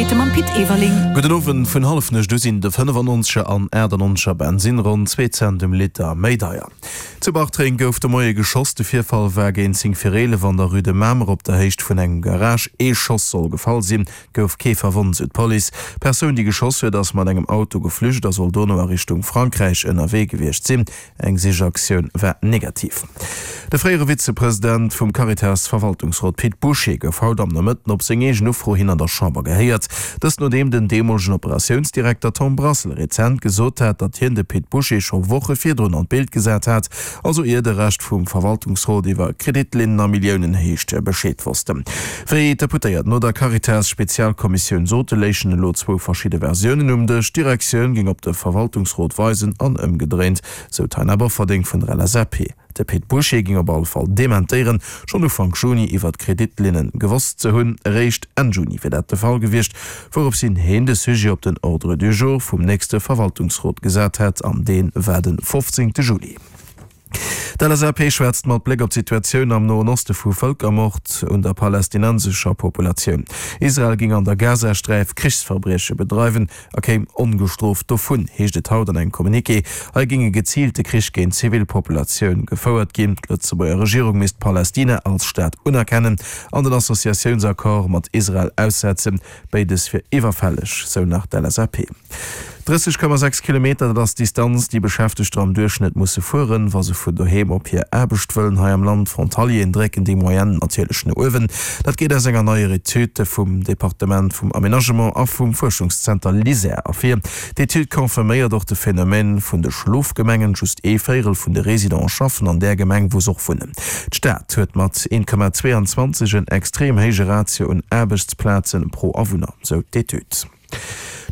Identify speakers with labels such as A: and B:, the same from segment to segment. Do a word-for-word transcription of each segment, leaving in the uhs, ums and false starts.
A: Neiegkeete mam Pit Everling.
B: Gudden Owend, Vun Hallefnuecht u sinn de fënnefannonzeger an aachtannonzeger Bensinn ronn zwee Cent um Liter méi deier. Zu Bartreng gouf de Moie geschoss. De Virfall war géint zéng vir eelef an der Rue de Mamer op der Héicht vun engem Garage. Ee Schoss soll gefall sinn, et gouf kee verwonnt, sou d'Police. D'Persoun, déi geschoss huet, ass mat engem Auto geflücht a soll dono a Richtung Frankräich ënnerwee gewiescht sinn. Eng Sichaktioun war negativ. De fréiere Vizepresident vum Caritas-Verwaltungsrot Pit Bouché gouf haut am Nomëtten op seng eegen Ufro hin an der Chamber gehéiert. Dëst nodeem den deemolegen Operatiounsdirekter Tom Brassel rezent gesot hat, datt hien de Pit Bouché scho Woche virdrun an d'Bild gesat hat, also ier de Rescht vum Verwaltungsrot iwwer Kreditlinnen a Milliounenhéicht Bescheed wossten. Wéi d'Deputéiert no der Caritas-Spezialkommissioun sote, léichen elo zwou verschidde Versiounen um Dësch. D'Direktioun géing op de Verwaltungsrot weisen an ëmgedréint, sou d'Taina Bofferding vun der L S A P. De Pit Bouché géing op alle Fall dementéieren, schonn Ufank Juni iwwer d'Kreditlinne gewosst ze hunn. Eréischt Enn Juni wier dat de Fall gewiescht, wourops hin hien de Sujet op den Ordre du jour vum nächste Verwaltungsrot gesat hätt, an dee war de fofzéngte Juli. D'L S A P schwätzt mat Bléck op d'Situatioun am Noen Oste vu Vëlkermord un der palästinensescher Populatioun. Israel géing an der Gazasträif Krichsverbrieche bedreiwen a kéim ongestrooft dovun, heescht et haut an engem Communiqué. Hei géing e geziilte Krich géint d'Zivilpopulatioun gefouert ginn. D'Lëtzebuerger Regierung misst Palästina als Staat unerkennen an den Associatiounsaccord mat Israel aussetzen. Béides wier iwwerfälleg, sou nach d'L S A P. drësseg Komma sechs Kilometer, dat ass d'Distanz, déi Beschäftegter am Duerchschnëtt musse fueren, wa se vun doheem op hir Aarbecht wëllen hei am Land. Frontalieren drécken déi Moyenne natierlech no uewen. Dat geet aus enger neier Etüd vum Departement vum Aménagement a vum Fuerschungszenter LISER ervir. D'Etüd confirméiert och de Phänomen vun de Schlofgemengen, Just ee Véierel vun de Residente schaffen an där Gemeng, wou se och wunnen. D'Stad huet mat een Komma zweeanzwanzeg en extrem héije Ratio un Aarbechtsplaze pro Awunner, sou d'Etüd.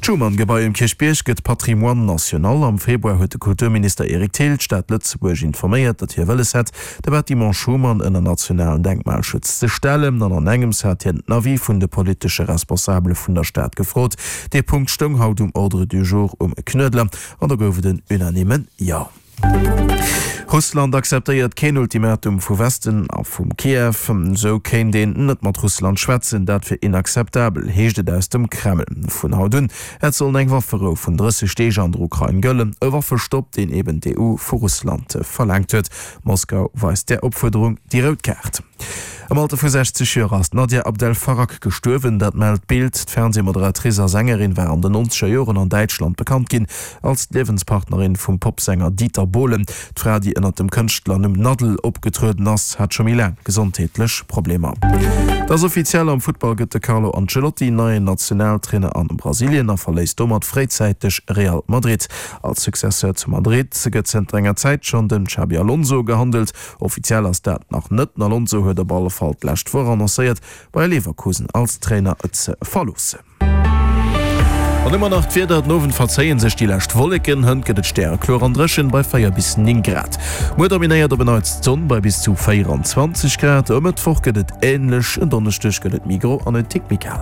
B: D'Schuman-Gebai um Kierchbierg gëtt Patrimoine national. Am Februar huet de Kulturminister Eric Thill d'Stad Lëtzebuerg informéiert, datt hie wëlles hätt, de Bâtiment Schuman ënner nationalen Denkmalschutz ze stellen. An an engems hat hien den Avis vun de politesche Responsabele vun der Stad gefrot. Dee Punkt stoung haut um Ordre du jour um Knuedler an do gouf et en unanimen Jo. Russland akzeptéiert keen Ultimatum vu Westen a vum Kiew. Esou kéint een net mat Russland schwätzen, dat wier inakzeptabel, heescht et aus dem Kreml. Vun haut un hätt sollen eng Wafferou vun drësseg Deeg an der Ukrain gëllen, e Waffestopp, deen eben d'E U vu Russland verlaangt huet. Moskau weist där Opfuerderung déi rout Kaart. Am Alter vu sechzeg Joer ass d'Nadia Abdel Farag gestuerwen, dat mellt d'Bild. D'Fernseemoderatrice a Sängerin war an den nonzeger Joren an Däitschland bekannt ginn als d'Liewenspartnerin vum Popsänger Dieter Bohlen. D'Fra, déi ënnert dem Kënschtlernumm Naddel opgetrueden ass, hat scho méi laang gesondheetlech Problemer. Et ass offiziell, Am Futtball gëtt de Carlo Ancelotti neien Nationaltrainer an Brasilien a verléisst domat fréizäiteg Real Madrid. Als Successeur zu Madrid gëtt zënter enger Zäit schonn den Xabi Alonso gehandelt. Offiziell ass dat nach net. Den Alonso huet op alle Fall d'lescht Woch annoncéiert, Bayer Leverkusen als Trainer ze verloossen. An ëmmer nach d'Wieder, Den Owend verzéien sech déi lescht Wolleken, hënt gëtt et stärekloer an dréchen bei véier bis néng Grad. Muer dominéiert op en Neits d'Sonn bei bis zu véieranzwanzeg Grad. E Mëttwoch gëtt et änlech, en Donneschdeg gëtt et méi gro an en Tick méi kal.